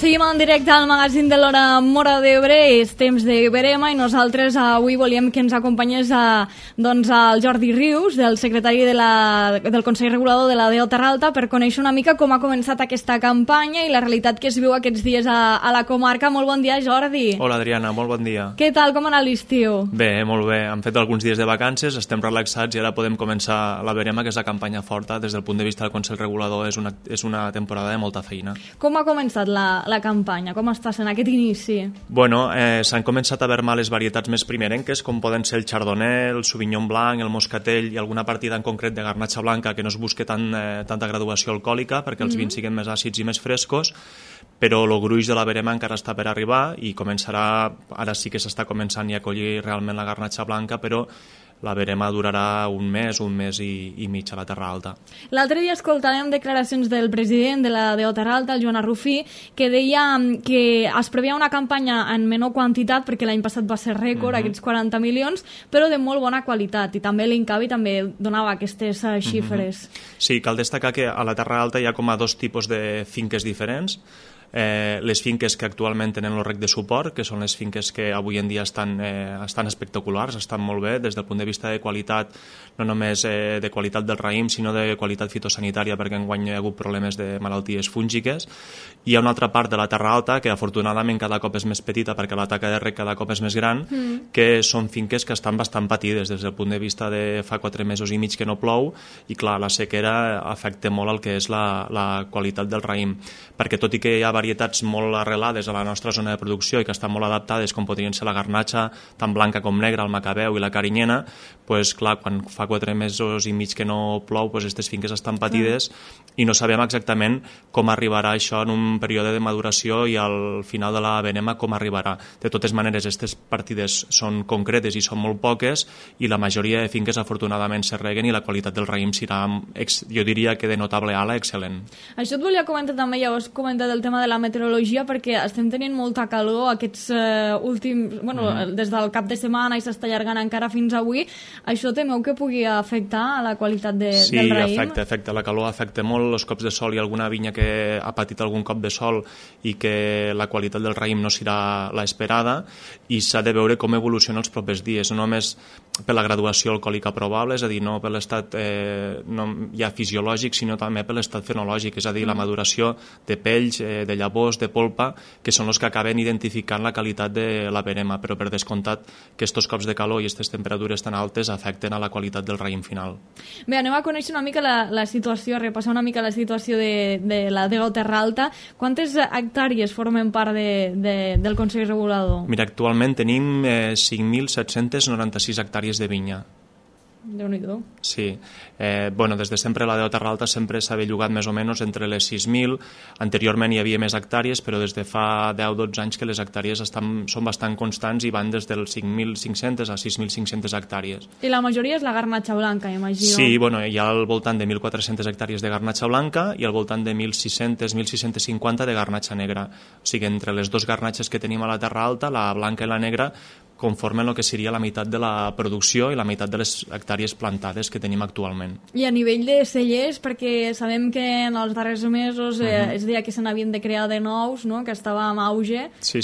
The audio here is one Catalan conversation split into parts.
seguim en directe al magazín de l'Hora Móra d'Ebre, és temps de Verema i nosaltres avui volíem que ens acompanyés el Jordi Rius, del secretari del Consell Regulador de la DO Terra Alta, per conèixer una mica com ha començat aquesta campanya i la realitat que es viu aquests dies a la comarca. Molt bon dia, Jordi. Hola, Adriana, molt bon dia. Què tal, com ha anat l'estiu? Bé, molt bé. Hem fet alguns dies de vacances, estem relaxats i ara podem començar la Verema, que és la campanya forta. Des del punt de vista del Consell Regulador és una temporada de molta feina. Com ha començat la campanya? Com està sent aquest inici? Bueno, s'han començat a veure les varietats més primerenques, com poden ser el Chardonnay, el Sauvignon Blanc, el Moscatell i alguna partida en concret de Garnatxa Blanca que no es busque tanta graduació alcohòlica perquè els vins siguin més àcids i més frescos, però el gruix de la Verema encara està per arribar i començarà, ara sí que s'està començant a collir realment la Garnatxa Blanca, però la Verema durarà un mes i mig a la Terra Alta. L'altre dia escoltàvem declaracions del president de la DO Terra Alta, el Joan Arrufí, que deia que es preveia una campanya en menor quantitat, perquè l'any passat va ser rècord, aquests 40 milions, però de molt bona qualitat, i també l'Incavi també donava aquestes xifres. Sí, cal destacar que a la Terra Alta hi ha com a dos tipus de finques diferents. Les finques que actualment tenen el rec de suport, que són les finques que avui en dia estan espectaculars, estan molt bé des del punt de vista de qualitat, no només de qualitat del raïm, sinó de qualitat fitosanitària, perquè enguany hi ha hagut problemes de malalties fúngiques. Hi ha una altra part de la Terra Alta que afortunadament cada cop és més petita perquè la taca de rec cada cop és més gran, que són finques que estan bastant patides des del punt de vista de fa 4 mesos i mig que no plou, i clar, la sequera afecta molt el que és la qualitat del raïm, perquè tot i que hi ha varietats molt arrelades a la nostra zona de producció i que estan molt adaptades, com podrien ser la garnatxa, tant blanca com negra, el macabeu i la carinyena, doncs clar, quan fa 4 mesos i mig que no plou, doncs aquestes finques estan patides i no sabem exactament com arribarà això en un període de maduració i al final de la Verema com arribarà. De totes maneres, aquestes partides són concretes i són molt poques i la majoria de finques afortunadament se reguen i la qualitat del raïm serà, jo diria que de notable ala, excel·lent. Això et volia comentar també, ja ho has comentat el tema de la meteorologia, perquè estem tenint molta calor aquests últims, des del cap de setmana i s'està allargant encara fins avui. Això temeu que pugui afectar a la qualitat del raïm? Sí, afecta. La calor afecta molt, els cops de sol, i alguna vinya que ha patit algun cop de sol i que la qualitat del raïm no serà l'esperada, i s'ha de veure com evoluciona els propers dies, no només per la graduació alcohòlica probable, és a dir, no per l'estat ja fisiològic, sinó també per l'estat fenològic, és a dir, la maduració de pells, de llavors, de polpa, que són els que acaben identificant la qualitat de la Verema, però per descomptat que aquests cops de calor i aquestes temperatures tan altes afecten a la qualitat del raïm final. Bé, anem a conèixer una mica la situació, a repassar una mica la situació de la DO Terra Alta. Quantes hectàrees formen part del Consell Regulador? Mira, actualment tenim 5.796 hectàrees de vinya. Déu-n'hi-do. Sí. Des de sempre la DO Terra Alta sempre s'ha bellugat més o menys entre les 6.000. Anteriorment hi havia més hectàrees, però des de fa 10-12 anys que les hectàrees són bastant constants i van des dels 5.500 a 6.500 hectàrees. I la majoria és la garnatxa blanca, imagino. Sí, hi ha al voltant de 1.400 hectàrees de garnatxa blanca i al voltant de 1.600-1.650 de garnatxa negra. O sigui, entre les dues garnatxes que tenim a la Terra Alta, la blanca i la negra, conformen el que seria la meitat de la producció i la meitat de les hectàrees plantades que tenim actualment. I a nivell de cellers, perquè sabem que en els darrers mesos es deia que se n'havien de crear de nous, no? Que estava en auge. Sí.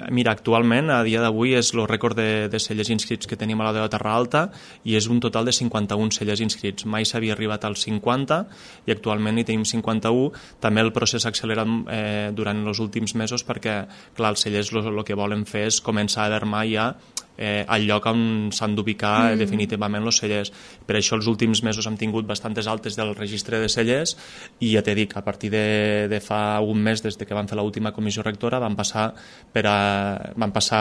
Mira, actualment, a dia d'avui, és el rècord de cellers inscrits que tenim a la DO Terra Alta i és un total de 51 cellers inscrits. Mai s'havia arribat als 50 i actualment hi tenim 51. També el procés s'ha accelerat durant els últims mesos perquè, clar, els cellers el que volen fer és començar a haver ja al lloc on s'han d'ubicar definitivament els cellers. Per això els últims mesos hem tingut bastantes altes del registre de cellers i ja t'he dit, a partir de fa un mes, des que van fer l'última comissió rectora, van passar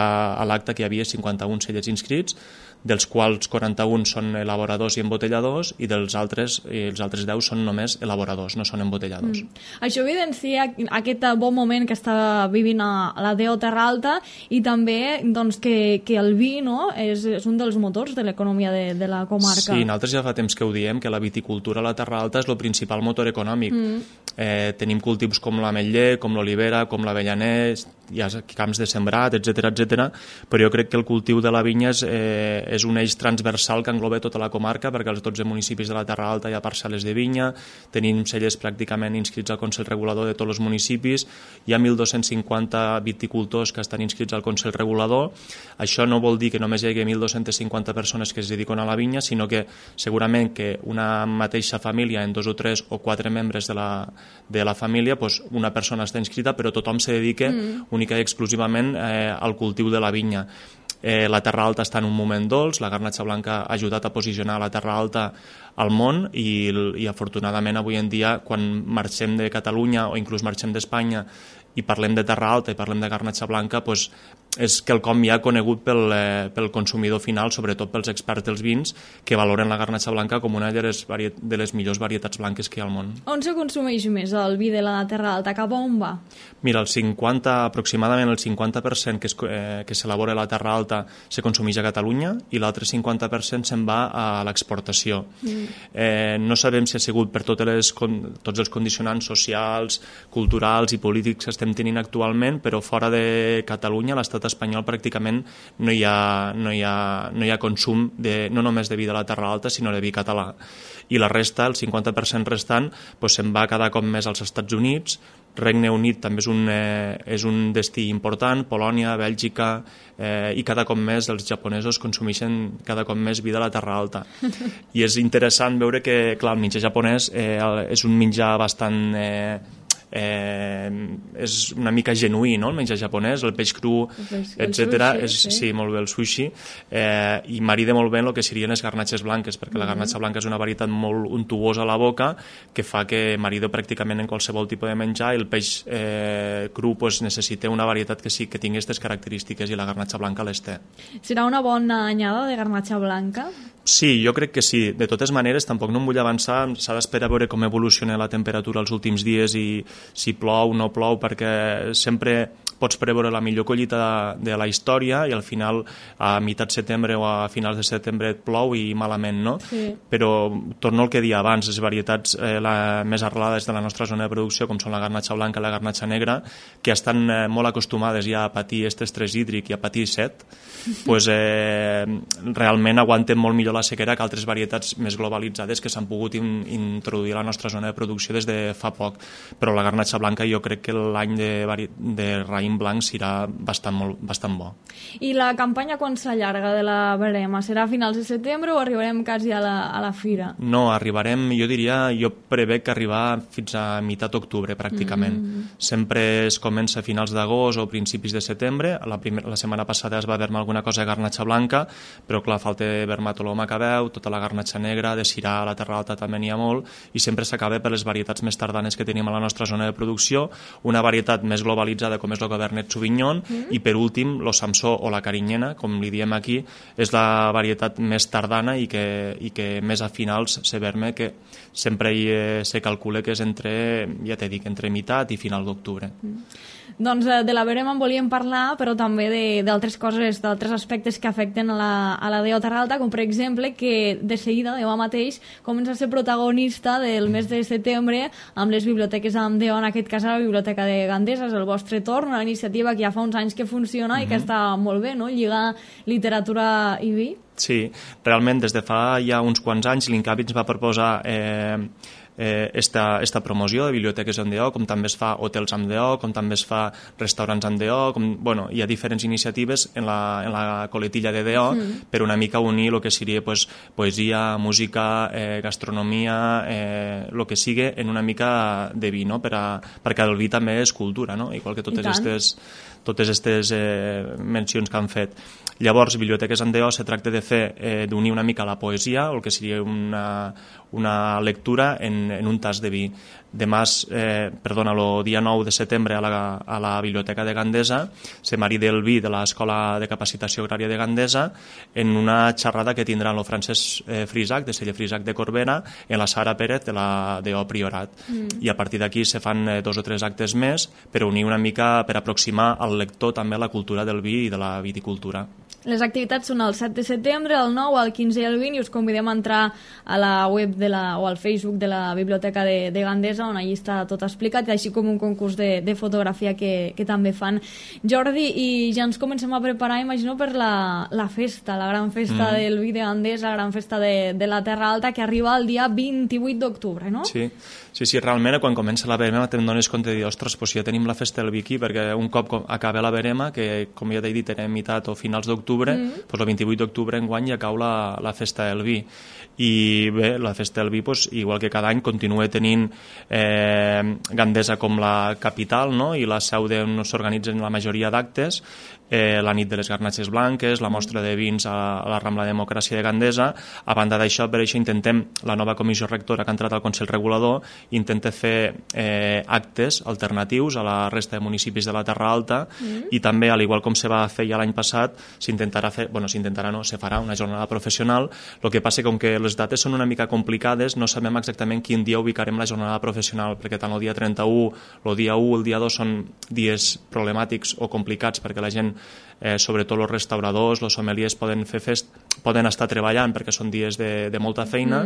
a l'acte que hi havia 51 cellers inscrits, dels quals 41 són elaboradors i embotelladors i els altres 10 són només elaboradors, no són embotelladors. Això evidencia aquest bon moment que està vivint a la DO Terra Alta i també que el vi vi, no? És un dels motors de l'economia de la comarca. Sí, nosaltres ja fa temps que ho diem, que la viticultura a la Terra Alta és el principal motor econòmic. Tenim cultius com l'ametller, com l'olivera, com l'avellaner, hi ha camps de sembrat, etc, però jo crec que el cultiu de la vinya és un eix transversal que engloba tota la comarca, perquè als 12 municipis de la Terra Alta hi ha parcel·les de vinya, tenim cellers pràcticament inscrits al Consell Regulador de tots els municipis, hi ha 1.250 viticultors que estan inscrits al Consell Regulador. Això no vol dir que només hi hagi 1.250 persones que es dediquen a la vinya, sinó que segurament que una mateixa família, en 2 o 3 o 4 membres de la família, doncs una persona està inscrita, però tothom se dedica única i exclusivament al cultiu de la vinya. La Terra Alta està en un moment dolç, la garnatxa blanca ha ajudat a posicionar la Terra Alta al món i afortunadament avui en dia, quan marxem de Catalunya o inclús marxem d'Espanya i parlem de Terra Alta i parlem de garnatxa blanca, doncs és quelcom ja conegut pel consumidor final, sobretot pels experts dels vins, que valoren la garnatxa blanca com una de les millors varietats blanques que hi ha al món. On se consumeix més el vi de la Terra Alta? Cap a on va? Mira, aproximadament el 50% que s'elabora a la Terra Alta se consumeix a Catalunya i l'altre 50% se'n va a l'exportació. No sabem si ha sigut per tots els condicionants socials, culturals i polítics que estem tenint actualment, però fora de Catalunya, l'estat espanyol pràcticament no hi ha consum no només de vi de la Terra Alta, sinó de vi català. I la resta, el 50% restant, se'n va cada cop més als Estats Units. Regne Unit també és un destí important, Polònia, Bèlgica, i cada cop més els japonesos consumeixen cada cop més vi de la Terra Alta. I és interessant veure que, clar, el menjar japonès és un menjar bastant... és una mica genuí, no? El menjar japonès, el peix cru, etc. Sí, molt bé, el sushi, i marida molt bé el que serien les garnatxes blanques, perquè la garnatxa blanca és una varietat molt untuosa a la boca que fa que marida pràcticament en qualsevol tipus de menjar, i el peix cru necessita una varietat que sí que tingui aquestes característiques, i la garnatxa blanca les té. Serà una bona anyada de garnatxa blanca? Sí, jo crec que sí. De totes maneres, tampoc no em vull avançar, s'ha d'esperar a veure com evoluciona la temperatura els últims dies i si plou o no plou, perquè sempre pots preveure la millor collita de la història i al final a meitat de setembre o a finals de setembre et plou i malament, no? Sí. Però torno al que deia abans, les varietats més arrelades de la nostra zona de producció, com són la garnatxa blanca i la garnatxa negra, que estan molt acostumades ja a patir este estrès hídric i a patir set, doncs realment aguanten molt millor la sequera que altres varietats més globalitzades que s'han pogut introduir a la nostra zona de producció des de fa poc. Però la garnatxa blanca jo crec que l'any de raïm blanc serà bastant bo. I la campanya quan s'allarga de la verema? Serà a finals de setembre o arribarem quasi a la fira? No, arribarem, jo prevec arribar fins a meitat d'octubre pràcticament. Sempre es comença a finals d'agost o principis de setembre. La setmana passada es va vermar alguna cosa de garnatxa blanca, però clar, falta vermatoló macabeu, tota la garnatxa negra, de Syrah a la Terra Alta també n'hi ha molt, i sempre s'acaba per les varietats més tardanes que tenim a la nostra zona de producció, una varietat més globalitzada com és el Cabernet Sauvignon, i per últim, lo Samsó o la Carinyena, com li diem aquí, és la varietat més tardana i que més a finals se verme, que sempre se calcula que és entre meitat i final d'octubre. Doncs de la verema en volíem parlar, però també d'altres coses, d'altres aspectes que afecten a la DO Terra Alta, com per exemple que de seguida, demà mateix, comença a ser protagonista del mes de setembre amb les biblioteques amb DO, en aquest cas a la Biblioteca de Gandesa. És el vostre torn, una iniciativa que ja fa uns anys que funciona i que està molt bé, no? Lligar literatura i vi. Sí, realment des de fa ja uns quants anys l'INCAVI ens va proposar esta promoció de biblioteques amb DO, com també es fa hotels amb DO, com també es fa restaurants amb DO, hi ha diferents iniciatives en la coletilla de DO per una mica unir el que seria poesia, música, gastronomia, el que sigui en una mica de vi, no? Perquè el vi també és cultura, no? Igual que totes aquestes mencions que han fet. Llavors, Biblioteques amb DO se tracta d'unir una mica la poesia, el que seria una lectura en un tas de vi. Demà, el dia 9 de setembre a la Biblioteca de Gandesa se marida el vi de l'Escola de Capacitació Agrària de Gandesa en una xerrada que tindrà el Francesc Frisac, de Celler Frisac de Corbera, en la Sara Pérez de la DO Priorat. I a partir d'aquí se fan 2 o 3 actes més per unir una mica, per aproximar al lector també a la cultura del vi i de la viticultura. Les activitats són el 7 de setembre, el 9, el 15 i el 20, i us convidem a entrar a la web o al Facebook de la Biblioteca de Gandesa, on allí està tot explicat, així com un concurs de fotografia que també fan. Jordi, i ja ens comencem a preparar, imagino, per la festa, la gran festa del vi de Gandesa, la gran festa de la Terra Alta, que arriba el dia 28 d'octubre, no? Sí, realment quan comença la verema te'n dones compte de dir, ostres, doncs ja tenim la festa del vi aquí, perquè un cop acaba la verema, que com ja t'he dit era meitat o finals d'octubre, doncs el 28 d'octubre enguany ja cau la festa del vi. I bé, la festa del vi, doncs, igual que cada any, continua tenint Gandesa com la capital, no? I la seu d'on s'organitzen la majoria d'actes, la nit de les garnatxes blanques, la mostra de vins a la Rambla Democràcia de Gandesa. A banda d'això, per això intentem, la nova comissió rectora que ha entrat al Consell Regulador, intenta fer actes alternatius a la resta de municipis de la Terra Alta, i també, al igual com se va fer ja l'any passat, se farà una jornada professional. El que passa que, com que les dates són una mica complicades, no sabem exactament quin dia ubicarem la jornada professional, perquè tant el dia 31, el dia 1, el dia 2 són dies problemàtics o complicats, perquè la gent, sobretot els restauradors, els sommeliers, poden estar treballant perquè són dies de molta feina,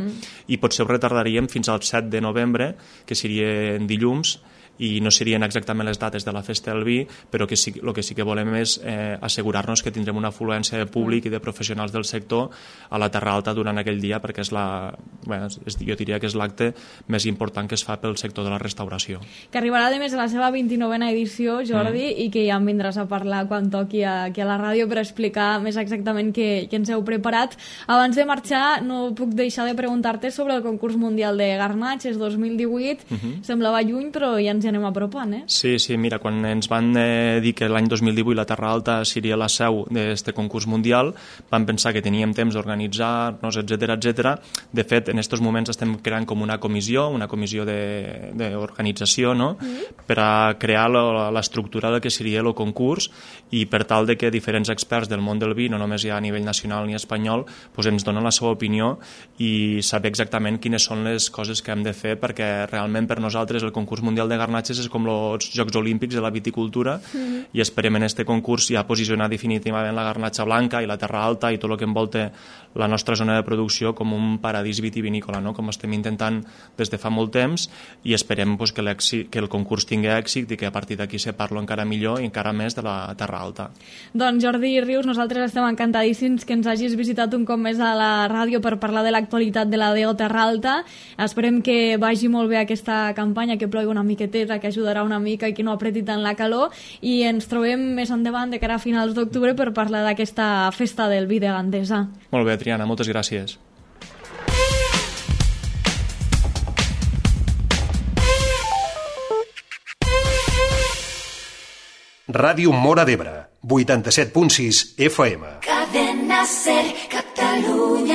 i potser ho retardaríem fins al 7 de novembre, que serien dilluns, i no serien exactament les dates de la festa del vi, però el que sí que volem és assegurar-nos que tindrem una afluència de públic i de professionals del sector a la Terra Alta durant aquell dia, perquè jo diria que és l'acte més important que es fa pel sector de la restauració. Que arribarà, a més, a la seva 29a edició, Jordi, i que ja em vindràs a parlar quan toqui aquí a la ràdio per explicar més exactament què ens heu preparat. Abans de marxar, no puc deixar de preguntar-te sobre el concurs mundial de garnatxes 2018. Semblava lluny, però ja ens anem apropant, Sí, mira, quan ens van dir que l'any 2018 la Terra Alta seria la seu d'aquest concurs mundial, vam pensar que teníem temps d'organitzar-nos, etc. De fet, en aquests moments estem creant com una comissió d'organització, no? Per a crear l'estructura del que seria el concurs, i per tal de que diferents experts del món del vi, no només ja a nivell nacional ni espanyol, ens donen la seva opinió i saber exactament quines són les coses que hem de fer, perquè realment per nosaltres el concurs mundial de garnatxes és com els Jocs Olímpics de la viticultura, i esperem en aquest concurs ja posicionar definitivament la garnatxa blanca i la Terra Alta i tot el que envolta la nostra zona de producció com un paradís vitivinícola, no? Com estem intentant des de fa molt temps, i esperem que el concurs tingui èxit i que a partir d'aquí se parlo encara millor i encara més de la Terra Alta. Doncs Jordi Rius, nosaltres estem encantadíssims que ens hagis visitat un cop més a la ràdio per parlar de l'actualitat de la DO Terra Alta. Esperem que vagi molt bé aquesta campanya, que plogui una miqueteta, que ajudarà una mica i que no apreti tant la calor, i ens trobem més endavant de cara a finals d'octubre per parlar d'aquesta festa del vi de Gandesa. Molt bé, Triana, moltes gràcies. Ràdio Móra d'Ebre, 87.6 FM. Cadena Ser, Catalunya.